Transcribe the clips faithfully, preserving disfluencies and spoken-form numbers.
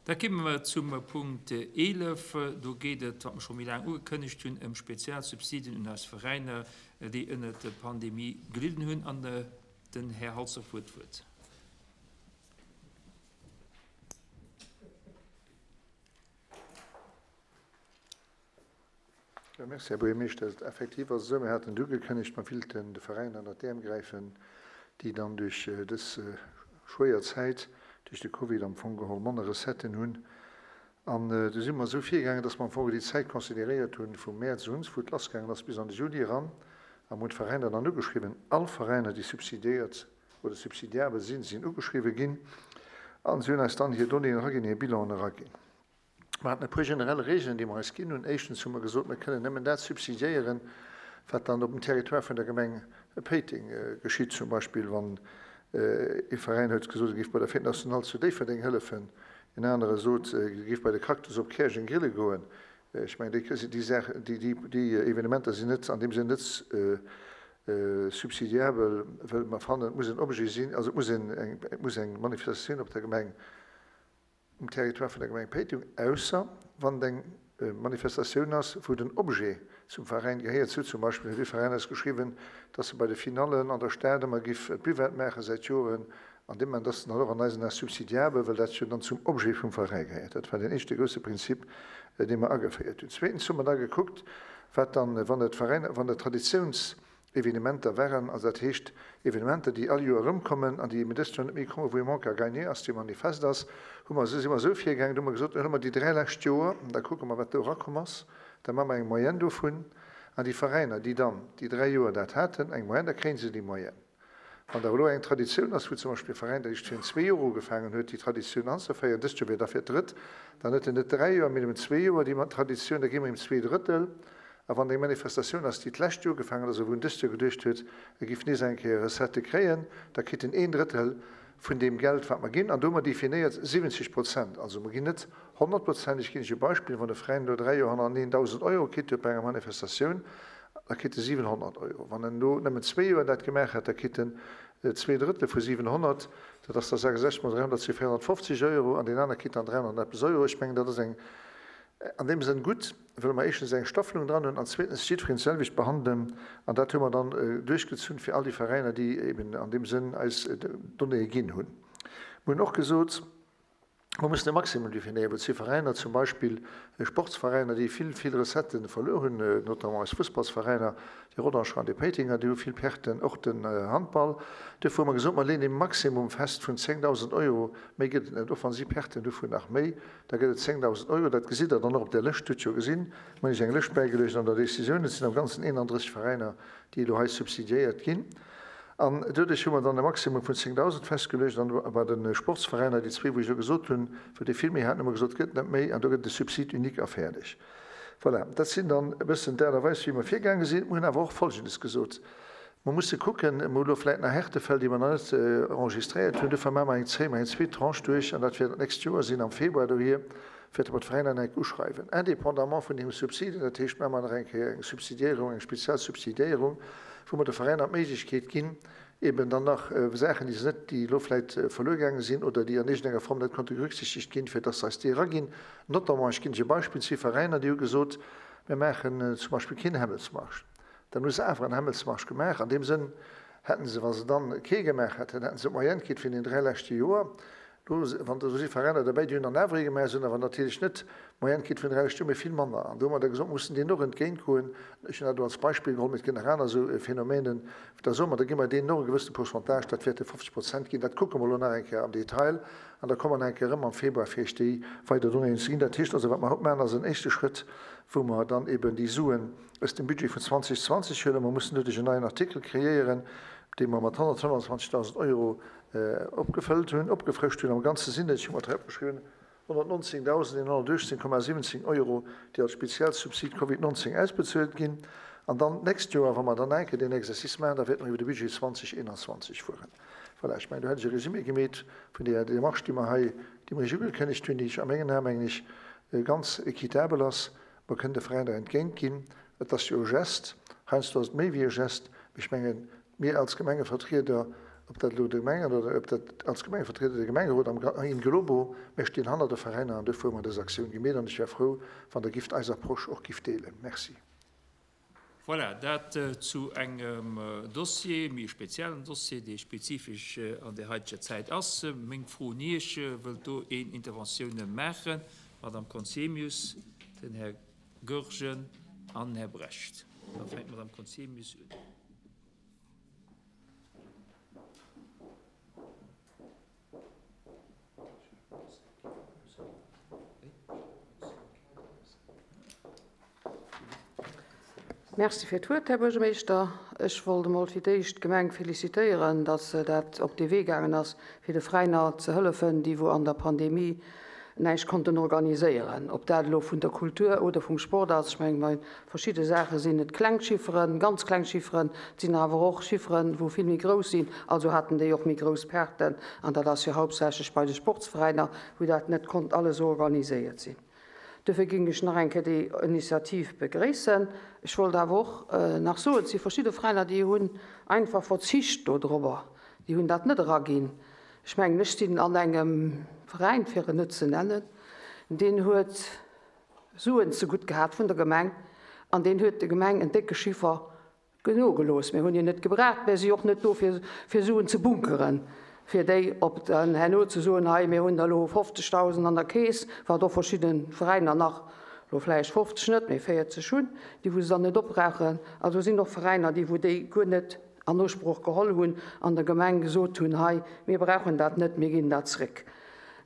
Da komme mer zum Punkt eelef. Do geet et, wat mer scho méi laang ugekënnegt hunn, ëm Spezialsubsiden un eis Veräiner, déi ënnert der Pandemie gelidden hunn. An den Här Halsdorf huet d'Wuert. Jo, merci, Här Buergermeeschter. Effektiv ass et esou, mir haten et ugekënnegt, mer wéilten de Veräiner ënnert d'Äerm gräifen, déi dann duerch dës schwéier Zäit, duerch de Covid am Fong geholl manner Recetten hunn. An du si mer esou virgaangen, dass mer am Fong déi Zäit consideréiert hunn vum Mäerz un, wou et lassgaangen ass, bis an de Juli eran. A mer hunn d'Veräiner dann ugeschriwwen. All Veräiner, déi subsidiéiert oder subsidiabel sinn, sinn ugeschriwwen ginn. A si hunn eis dann hir Donnéeën eraginn, hir Bilanen eraginn. Mer haten e puer generell Regeln, déi mer eis ginn hunn. Éischtens hu mer gesot, mer kënnen nëmmen dat subsidiéieren, wat dann op dem Territoire vun der Gemeng Péiteng geschitt. Zum Beispill, wann ee Veräin huet gesot, e géif bei der Fête nationale zu Déifferdeng hëllefen, en anere sot, e géif bei de Cactus op Käerjeng grille goen. Ech mengen, déi, déi Saach, déi, déi, déi Evenementer sinn net an deem Sënn net subsidiabel, well mer fannen, et muss en Objet sinn, also et muss en, eng, et muss eng Manifestatioun op der Gemeng, um Territoire vun der Gemeng Péiteng, ausser wann et eng Manifestatioun ass, wou den Objet zum Veräin gehéiert. Sou zum Beispill huet ee Veräin eis geschriwwen, dass e bei de Finallen an der Stad ëmmer giff d'Buvette maache säit Joren. An deem Moment ass en dann och an eisen Ae subsidiabel, well dat jo dann zum Objet vum Veräi gehéiert. Dat war deen éischte grousse Prinzip, dee mer ageféiert hunn. Zweetens hu mer da gekuckt, wat dann, wann et Veräiner, wann et Traditiouns, Evenementer waren, also dat heescht Evenementer, déi all Joer erëmkommen an déi eben dëst Joer net méi kommen, wou e Manque à gagner ass, dee manifest ass, hu mer, si mer esou virgaangen, do hu mer gesot, da huele mer déi dräi lescht Joer, da kucke mer, wat do erakomm ass, da maache mer eng Moyenne dovun an déi Veräiner, déi dann déi dräi Joer dat haten, eng Moyenne, da kréie se déi Moyenne. Wann der elo eng Traditioun ass, wou zum Beispill e Veräin, der eréischt virun zwee Joer ugefaangen huet, déi Traditioun anzeféieren, dëst Joer wier da fir d'drëtt, dann huet en net dräi Joer, mee nëmmen zwee Joer déi Traditioun, da gi mer him zwee Drëttel. A wann eng Manifestatioun ass, déi d'lescht Joer ugefaangen ass a wou en dëst Joer geduecht huet, e giff nees eng Kéier Recettë kréien, da kritt en een Drëttel vun deem Geld, wat mer ginn. An do hu mer definéiert siwwenzeg Prozent. Also mer ginn net honnert Prozent. Ech ginn Iech e Beispill, Wann e Veräin elo dräi Joer hannereneen dausend Euro kritt huet bei enger Manifestatioun, da kritt e siwenhonnert Euro. Wann en elo nëmmen zwee Joer dat gemaach hätt, da kritt en zwee Drëttel vu siwenhonnert, dat ass da sechsundsechzeg mol dräihonnert, si véierhonnertfofzeg Euro, an deen anere kritt dann dräihonnert an eppes Euro. Ech mengen, dat ass eng An deem Sënn gutt, wëlle mer éischtens eng Staffelung dran hunn an zweetens jiddwereen d'selwecht behandelen. An dat hu mer dann duerchgezunn fir all déi Veräiner, déi eben an deem Sënn eis Donnéeë ginn hunn. Mer hunn och gesot, mer mussen e Maximum definéieren, well et si Veräiner, zum Beispill Sportsveräiner, déi vill, vill Recettë verluer hunn, notamment eis Fussballsveräiner, déi Rodangerer an déi Péitenger, déi hu vill Perten, och den Handball. Duerfir hu mer gesot, mer leeën e Maximum fest vun zéngdausend Euro, méi gëtt et net, och wa si Perten hu vun nach méi. Da gëtt et zéngdausend Euro. Dat gesitt Der dann och op där Lëscht. Hutt jo gesinn, mer hunn Iech eng Lëscht bäigeluecht an der Décisioun. Et sinn am Ganzen eenanddrësseg Veräiner, déi elo hei subsidiéiert ginn. An doduerch hu mer dann e Maximum vun zéngdausend festgeluecht. An bei de Sportsveräiner, déi zwee, wou ech elo gesot hunn, wou déi vill méi haten, hu mer gesot, gëtt net méi. An do gëtt et e Subside unique a fäerdeg. Voilà, dat sinn dann e bëssen d'Aart a Weis, wéi mer virgaange sinn. Mer hunn awer och Folgendes gesot, Mer musse kucken, mer hu lo vläicht nach Härtefäll, déi mer nach net enregistréiert hunn, dofir maache mer eng, zéie mer eng zweet Tranche duerch an dat wäert d'nächst Joer sinn, am Februar dohier wäerte mer d'Veräiner nach eng Kéier uschreiwen, indépendamment vun deem Subside. Dat heescht, maache mer nach eng Kéier eng Subsidiéierung, eng speziell Subsidiéierung, wou mer de Veräiner d'Méiglechkeet ginn, eben dann nach Saachen, déi se net, déi elo vläicht verluer gaange sinn oder déi an iergendenger Form net konnte berücksichtegt ginn, fir dass se eis déi eraginn. Notamment, ech ginn lech e Beispill, et si Veräiner, déi hu gesot, mir maachen zum Beispill keen Hämmelsmarsch. Dann hu se awer en Hämmelsmarsch gemaach. An deem Sënn hätten se, wa se dann kee gemaach hätten, hätten se d'Moyenne kritt vun den dräi leschte Joer. Do, wann do si Veräiner derbäi, déi hunn dann awer ee gemaach, se hunn awer natierlech net d'Moyenne kritt vun den dräi leschte Joer, mee vill manner. An do hu mer da gesot, mer mussen deenen och entgéintgoen. Ech hunn dat elo als Beispill geholl, mee et gëtt nach aner esou Phänomenen. Da soe mer, da gi mer deenen och e gewëssene Pourcentage, dat wäerte fofzeg Prozent ginn. Dat kucke mer elo nach eng Kéier am Detail an da komme mer nach eng Kéier erëm am Februar, fir Iech déi weider Donnéeën ze ginn. Dat heescht also, wat mer haut maachen, ass en éischte Schrëtt, wou mer dann eben déi Suen aus dem Budget vun zweitausendzwanzeg huelen. Mer mussen doduerch en neien Artikel kreéieren, dee mer mat honnertfënnwandzwanzegdausend Euro opgefëllt hunn, opgefrëscht hunn. Am Ganze sinn et, ech hu mer et hei opgeschriwwen, honnertnonzéngdausendeenhonnertuechtzéng Komma siwwenzéng Euro, déi als Spezialsubsid Covid nonzéng ausbezuelt ginn. An dann d'nächst Joer, wa mer dann nach eng Kéier deen Exercice maachen, da wäerte mer iwwer de Budget zweitausendeenanzwanzeg fueren. Voilà, ech mengen, do hätt ech e Résumé gemeet vun där Démarche, déi mer hei, déi mer Iech ugekënnegt hunn, déi ech a mengen Aen, mengen ech, ganz équitabel ass. Mer kënnen de Veräiner entgéint ginn. Et ass jo e Geste, heiansdo ass et méi wéi e Geste, mee ech mengen, mir als Gemengevertrieder ob dat elo de Gemengen oder ob dat als Gemengevertrieder de Gemengerot am in globo, mir stinn hanner de Veräiner an duerfir hu mer dës Aktioun gemeet an ech wär frou, wann Der gifft eis Approche och gifft deelen. Merci. Voilà, dat zu engem Dossier, méi e speziellen Dossier, dee spezifesch an der heiteger Zäit ass. Meng Fro un Iech, Wëllt do een Interventioune maachen? D'Madame Conzemius, den Här Goergen an den Här Brecht. Da fänkt d'Madame Conzemius un. Merci fir d'Wuert, Här Buergermeeschter. Ech wollt emol fir d'éischt d'Gemeng felicitéieren, datt se dat op dee Wee gaangen ass, fir de Veräiner ze hëllefen, déi wou an der Pandemie näischt konnten organiséieren. Ob dat elo vun der Kultur oder vum Sport ass, ech mengen, bei verschidde Saache sinn et kleng Chifferen, ganz kleng Chifferen, et sinn awer och Chifferen, wou vill méi grouss sinn, also haten déi och méi grouss Perten. An dat ass jo hauptsächlech bei de Sportsveräiner, wou dat net konnt alles organiséiert sinn. Dofir géing ech nach eng Kéier déi Initiativ begréissen. Ech wollt awer och nach soen, et si verschidde Veräiner, déi hunn einfach verzicht dodrobber, déi hunn dat net eraginn. Ech mengen, ech sinn an engem Veräin, fir en net ze nennen, deen huet Suen zegutt gehat vun der Gemeng an deen huet der Gemeng en décke Chiffer nogelooss. Mir hunn hien net gebraucht, mir si och net do, fir Suen ze bunkeren, fir déi op dann herno ze soen, hei mir hunn der elo fofzegdausend an der Keess, wat och verschidde Veräiner nach elo vläicht fofzeg net, mee véierzeg hunn, déi wou se dann net opbrauchen. Also sinn och Veräiner, déi wou déi guer net an Usproch geholl hunn an der Gemeng gesot hunn, hei mir brauchen dat net, mir ginn dat zréck.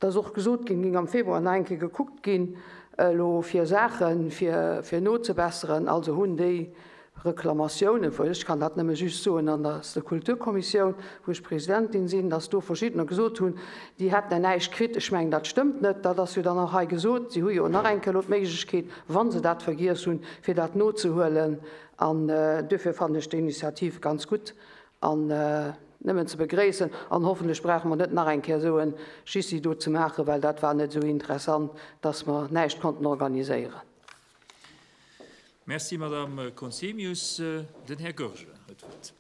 Et ass och gesot ginn, géing am Februar nach eng Kéier gekuckt ginn elo fir Saachen, fir fir nozebesseren. Also hunn déi Reklamatiounen, well ech kann dat nëmme just soen an der Kulturkommissioun, wou ech Presidentin sinn, dass do verschiddener gesot hunn, déi hätten näischt kritt. Ech mengen, dat stëmmt net. Dat ass jo dann och hei gesot. Si hu jo nach eng Kéier elo d'Méiglechkeet, wa se dat vergiess hunn, fir dat nozehuelen. An duerfir fannen ech déi Initiativ ganz gutt an nëmmen ze begréissen. An hoffentlech brauche mer net nach eng Kéier esou e Schissi do ze maachen, well dat war net esou interessant, dass mer näischt konnten organiséieren. Merci, Madame Conzemius. Den Här Goergen huet d'Wuert.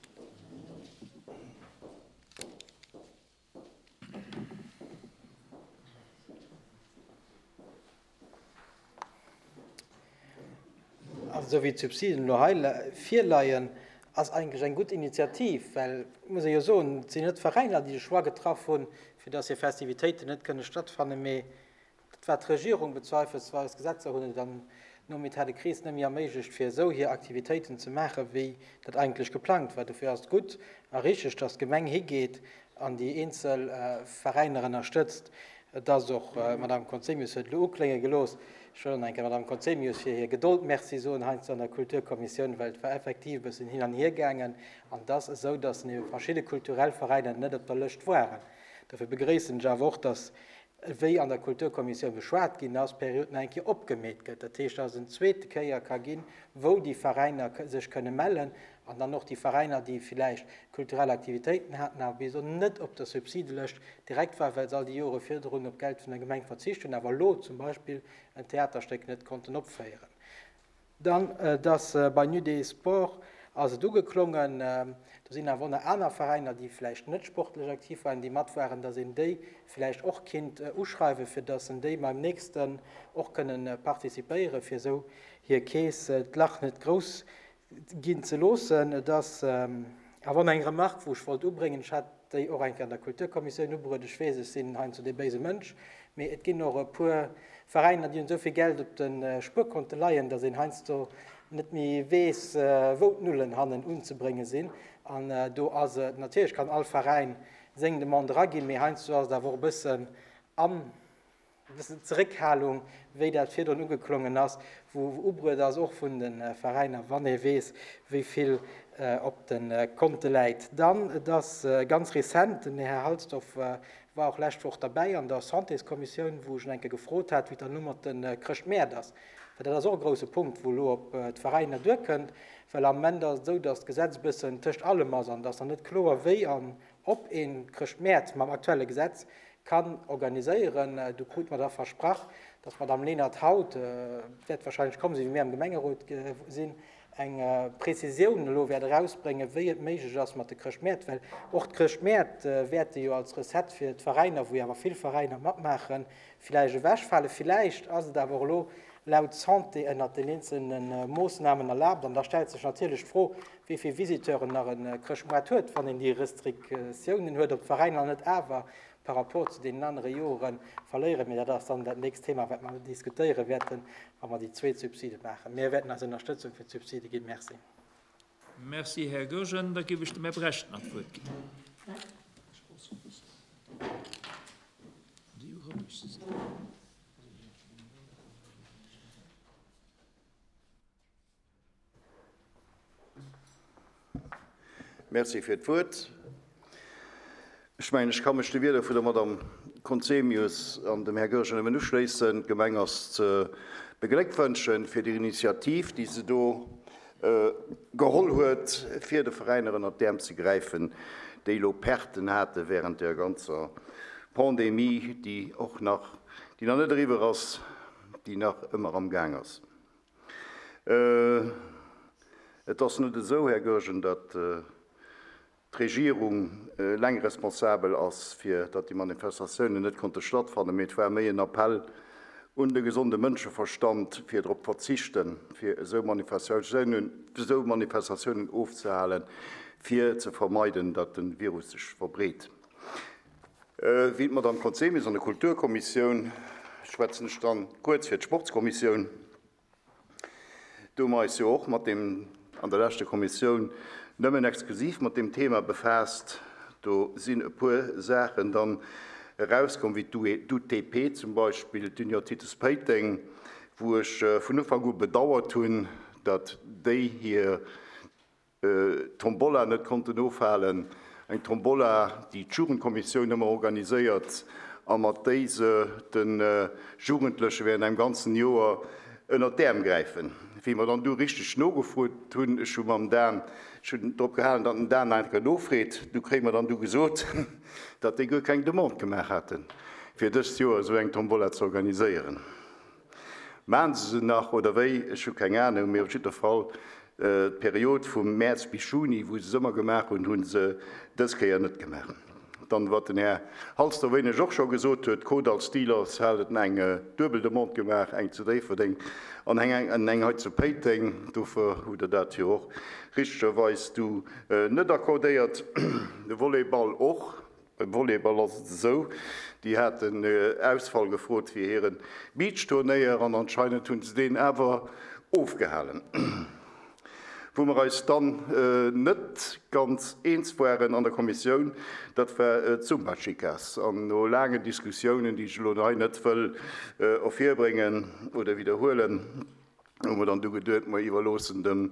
Also esou wéi d'Subsiden elo hei virleien, ass eigentlech eng gutt Initiativ, well, muss ee jo soen, et sinn net d'Veräiner, déi de Choix getraff hunn, fir dass hir Festivitéiten net kënne stattfannen, mee dat war d'Regierung bezweifelsweis. D'Gesetzer hunn et dann nom État de crise net méi erméiglecht, fir esou hir Aktivitéiten ze maachen, wéi dat eigentlech geplangt war. Dofir ass et gutt a richteg, dass d'Gemeng higeet an déi eenzel Veräiner ënnerstëtzt. Et ass och, d'Madame Conzemius huet et elo uklénge gelooss, ech wëll och nach eng Kéier der Madame Conzemius fir hir Gedold Merci soen heiansdo an der Kulturkommissioun, well et war effektiv e bëssen hin an hier gaangen an et ass esou, dass ebe verschidde kulturell Veräiner net op der Lëscht waren. Dofir begréissen ech awer och, dass, wéi an der Kulturkommissioun beschwat ginn ass, d'Period nach eng Kéier opgemeet gëtt. Dat heescht, dass et en zweete Kéier ka ginn, wou déi Veräiner sech kënne mellen an dann och déi Veräiner, déi villäicht kulturell Aktivitéiten haten, awer bis elo net op der Subsidelëscht direkt waren, well se all déi Jore virdrun op Geld vun der Gemeng verzicht hunn, awer elo zum Beispill en Theaterstéck net konnten opféieren. Dann, dass bei Nuit des Sports ass et ugeklongen, do sinn awer och nach aner Veräiner, déi vläicht net sportlech aktiv waren, déi mat waren, dass een déi vläicht och kinnt uschreiwen, fir dass en déi beim nächsten och kënnen participéieren, fir esou hir Keess, d'Lach net grouss ginn ze loossen. Et ass awer och eng Remarque, wou ech wollt ubréngen, ech hat déi och eng Kéier an der Kulturkommissioun ubruet, ech weess, ech sinn heiansdo dee béise Mënsch, mee et ginn och e puer Veräiner, déi hunn esou vill Geld op de Spuerkonte leien, datt een heiansdo net méi weess, wou d'Nullen hannen unzebrénge sinn. An do ass et, natierlech kann all Veräin seng Demande eraginn, mee heiansdo ass et awer och e bëssen an, e bëssen Zeréckhalung, wéi dat virdrun ugeklongen ass, wou ubruet ass och vun de Veräiner, wann ee weess, wéi vill op de Konte läit. Dann, et ass ganz rezent, den Här Halsdorf war och lescht Woch derbäi an der Santéskommissioun, wou ech en eng Kéier gefrot hat, wéi et dann elo mat de Chrëschtmäert ass, well dat ass och e grouse Punkt, wou elo op d'Veräiner duerkënnt, well am Moment ass et esou, datt d'Gesetz e bëssen tëscht allem ass an et ass nach net kloer, wéi an ob ee Chrëschtmäert mam aktuelle Gesetz kann organiséieren. Do krute mer da versprach, dass d'Madame Lenert haut, wäert wahrscheinlech komm sinn, wéi mir am Gemengerot sinn, eng Prezisioun elo wäert erausbréngen, wéi et méiglech ass mat de Chrëschtmäert, well och d'Chrëschtmäert wäerte jo als Recette fir d'Veräiner, wou jo awer vill Veräiner matmaachen, villäicht ewechfalen. Villäicht ass et awer och elo laut Santé ënnert den eenzelne Moossnamen erlaabt. An da stellt sech natierlech d'Fro, wéi vill Visiteuren nach e Chrëschtmoart huet, wann een déi Restriktiounen huet, ob d'Veräiner net awer par rapport zu deenen anere Jore verléieren. Mee dat ass dann dat nächst Thema, wat mer diskutéiere wäerten, wa mer déi zweet Subside maachen. Mir wäerten eis Ënnerstëtzung fir d'Subside ginn. Merci. Merci, Här Goergen. Da géif ech dem Här Brecht nach d'Wuert ginn. Merci fir d'Wuert. Ech mengen, ech ka mech de Wierder vun der Madame Conzemius an dem Här Goergen nëmmen uschléissen. D'Gemeng ass ze begléckwënschen fir déi Initiativ, déi se do geholl huet, fir de Veräiner ënnert d'Äerm ze gräifen, déi elo Perten hate während der ganzer Pandemie, déi och nach, déi nach net eriwwer ass, déi nach ëmmer am Gaang ass. Et ass net esou, Här Goergen, datt d'Regierung eleng responsabel ass, fir datt déi Manifestatiounen net konnte stattfannen, mee et war méi en Appell un de gesonde Mënscheverstand, fir drop verzichten, fir esou Manifestatiounen, esou Manifestatiounen ofzehalen, fir ze vermeiden, datt de Virus sech verbreet. Wéi d'Madame Conzemius an der Kulturkommissioun, schwätzen ech dann kuerz fir d'Sportskommissioun, do hu mer eis jo och mat deem an der leschter Kommissioun nëmmen exklusiv mat deem Thema befaasst. Do sinn e puer Saachen dann erauskomm, wéi d'U T P zum Beispill, d'Union Titus Péiteng, wou ech vun Ufank u bedauert hunn, datt déi hir Tombola net konnten ofhalen. Eng Tombola, déi d'Jugendkommissioun ëmmer organiséiert a mat déi se de Jugendleche während engem ganzen Joer ënnert d'Äerm gräifen. Wéi mer dann du richteg nogefrot hunn, ech hu mam Dan, ech hunn drop gehalen, datt den Dan einfach nofreet, du kréie mer dann du gesot, datt déi guer keng Demande gemaach haten, fir dëst Joer esou eng Tombola ze organiséieren. Maachen se se nach oder wéi? Ech hu keng Ahnung, mee op jidder Fall d'Period vum Mäerz bis Juni, wou se se ëmmer gemaach hunn, hu se dës Kéier net gemaach. Dann, wat den Här Halsterwéineg och scho gesot huet, d'Codal Steelers hat eng duebel Demande gemaach, eng zu Déifferdeng an eng, eng hei zu Péiteng. Dofir hutt Der dat jo och richtegerweis du net accordéiert. De Volleyball och. Beim Volleyball ass et esou, déi haten Ausfall gefrot fir hire Beachturnéier an anscheinend hunn se deen awer ofgehalen. Wou mer eis dann net ganz eens waren an der Kommissioun, dat war d'Zumba-Chicas. An no laangen Diskussiounen, déi ech elo hei net wëll ervirbréngen oder widderhuelen, hu mer dann du geduet, mer iwwerloossen dem,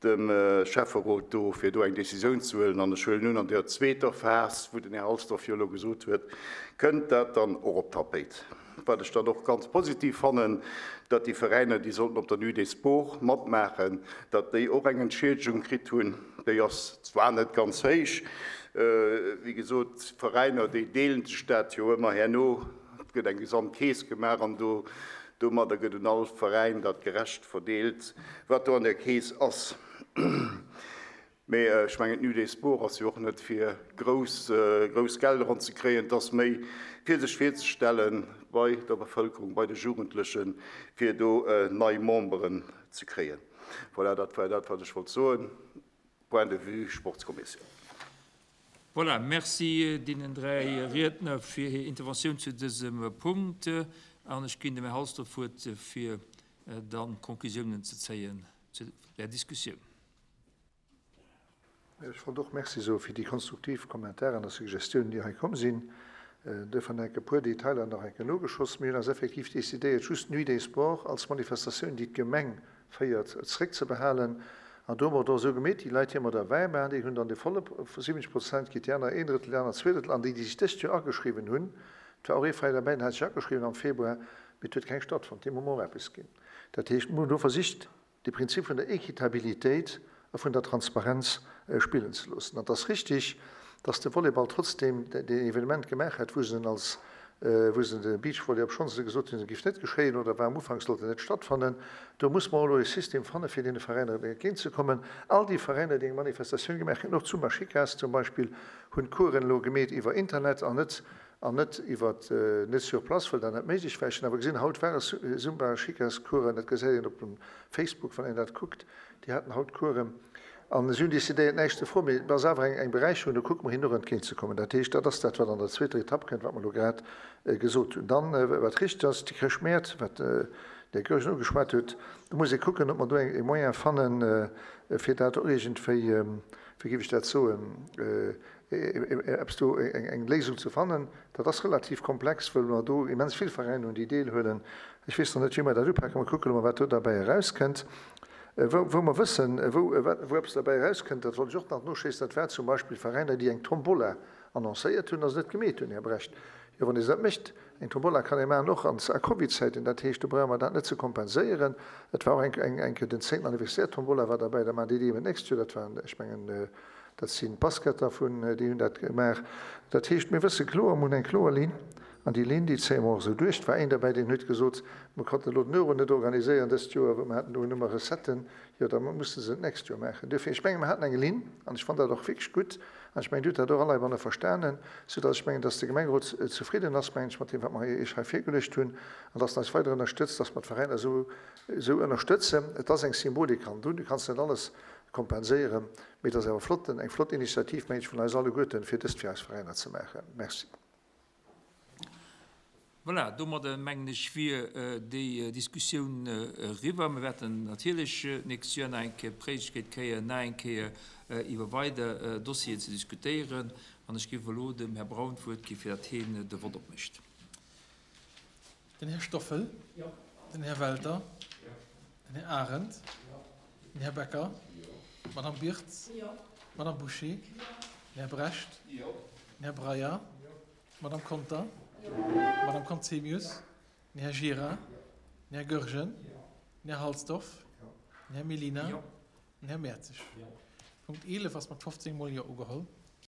dem Schäfferot do, fir do eng Decisioun ze huelen. An ech huelen un, an der zweeter Phas, wou den Här Halsdorf jo elo gesot huet, kënnt dat dann och op d'Tapéit. Wat ech dann och ganz positiv fannen, datt déi Veräiner, déi sollten op der Nuit des Sports matmaachen, datt déi och eng Entschiedegung kritt hunn. Déi ass zwar net ganz héich, wéi gesot, d'Veräiner, déi deelen sech dat jo ëmmer herno, et gëtt eng Gesamtkeess gemaach an do, domadder gëtt un all Veräin dat gerecht verdeelt, wat do an der Keess ass. Mee ech mengen, d'Nuit des Sports ass jo och net fir grouss, grouss Gelder anzekréien, et ass méi fir sech virzestellen bei der Bevëlkerung, bei de Jugendlechen, fir do nei Memberen ze kréien. Voilà, dat war dat, wat ech wollt soen. Point de vue Sportskommissioun. Voilà, merci deenen dräi Riedner fir hir Interventioun zu dësem Punkt. An ech ginn dem Här Halsdorf d'Wuert, fir dann Conclusiounen ze zéien zu der Diskussioun. Ech wollt och Merci soe fir déi konstruktiv Kommentaren a Suggestiounen, déi hei komm sinn. Duerfir nach e puer Detailer nach eng Kéier nogeschoss. Mir hunn eis effektiv decidéiert, just d'Nuit des Sports als Manifestatioun, déi d'Gemeng féiert, zréckzebehalen. An do hu mer et och esou gemeet, déi Leit, déi ëmmer derbäi waren, déi hunn dann de volle siwwenzeg Prozent kritt, déi aner een Drëttel, déi aner zwee Drëttel. An déi, déi sech dëst Joer ageschriwwen hunn, et war och ee Veräin derbäi, deen hat sech ageschriwwen am Februar, mee et huet keng stattfonnt, deem hu mer och eppes ginn. Dat heescht, mir hunn do versicht, de Prinzip vun der Equitabilitéit a vun der Transparenz spillen ze loossen. An et ass richtig, dass de Volleyball trotzdem deen Evenement gemaach hat, wou se en als wou se de Beachvolley obschonn se gesot hunn, se géif net geschéien oder war am Ufank, sollt en net stattfannen. Do muss mer elo e System fanne fir deene Veräiner entgéintzekommen. All déi Veräiner, déi eng Manifestatioun gemaach hunn, och d'Zumba Chicas zum Beispill, hunn d'Coursen elo gemeet iwwer Internet an net an net iwwer net sur place, well dat net méiglech war. Ech hunn awer gesinn, haut ware Zumba Chicas Coursen, dat gesäit een op dem Facebook, wann een dat kuckt, déi haten haut Coursen. An si hunn decidéiert, näischt ze froen, mee et ass awer eng, eng Beräicherung, do kucke mer hinnen och entgéintzekommen. Dat heescht, dat ass dat, wat an der zweeter Etapp kënnt, wat mer elo grad gesot hunn. Dann, wat richteg ass, déi Chrëschtmäert, wat den Här Goergen ugeschwat huet, do muss ee kucken, ob mer do e Moyen fannen, fir dat och iergendwéi, wéi géif ech dat soen, eppes do, eng Léisung ze fannen. Dat ass relativ komplex, well mer do immens vill Veräiner hunn, déi deelhuelen. Ech weess nach net, wéi mer dat upaken. Mer kucke elo mol, wat do derbäi erauskënnt. Wou mer wëssen, wou eppes derbäi erauskënnt, dat wollt ech och nach noschéissen, dat war zum Beispill Veräiner, déi eng Tombola annoncéiert hunn a se net gemeet hunn, Här Brecht. Jo, wann ee se dat mécht, eng Tombola kann ee maachen, och an a Covidzäiten, dat heescht, do brauche mer dat net ze kompenséieren. Et war och eng eng Kéier den zéngten Anniversaire, Tombola war derbäi, da maachen déi déi eben d'nächst Joer, dat waren, ech mengen, dat sinn d'Basketter vun, déi hunn dat gemaach. Dat heescht, mir wësse kloer, mir hunn eng kloer Linn. An déi Linn, déi zéie mer och esou duerch. Et war een derbäi, deen huet gesot, Mer konnten elo den Euro net organiséieren dëst Joer, well mer haten do nëmme Recetten. Jo, da musse se et d'nächst Joer maachen. Duerfir, ech menge mer haten eng Linn, an ech fannen dat och wierklech gutt, an ech mengen, Dir hutt dat och all heibanne verstanen, soudass ech mengen, dass de Gemengerot zefridden ass, mengen ech, mat deem, wat mer Iech hei virgeluecht hunn, an dass en eis weider ënnerstëtzt, dass mer d'Veräiner esou, esou ënnerstëtzen. Et ass eng Symbolik hannendrun, du kanns net alles kompenséieren, mee et ass awer flott, eng flott Initiativ, mengen ech, vun eis alleguerten, fir dëst fir eis Veräiner ze maachen. Merci. Voilà, domadder mengen ech wier déi Diskussioun eriwwer. Mir wäerten natierlech d'nächst Joer nach eng Kéier d'Méiglechkeet kréien, nach eng Kéier iwwer weider Dossieren ze diskutéieren. An ech géif elo dem Här Braun d'Wuert gi fir datt hien de Vott opmécht. Den Här Stoffel. Den Här Welter. Den Här Arendt. Den Här Becker. D'Madame Birtz. D'Madame Bouché. Den Här Brecht. Den Här Breyer. D'Madame Conter. D'Madame Conzemius. Den Här Gira. Den Här Goergen. Den Här Halsdorf. Den Här Mellina. Den Här Mertzig. Punkt eelef ass mat fofzéng mol Jo ugeholl.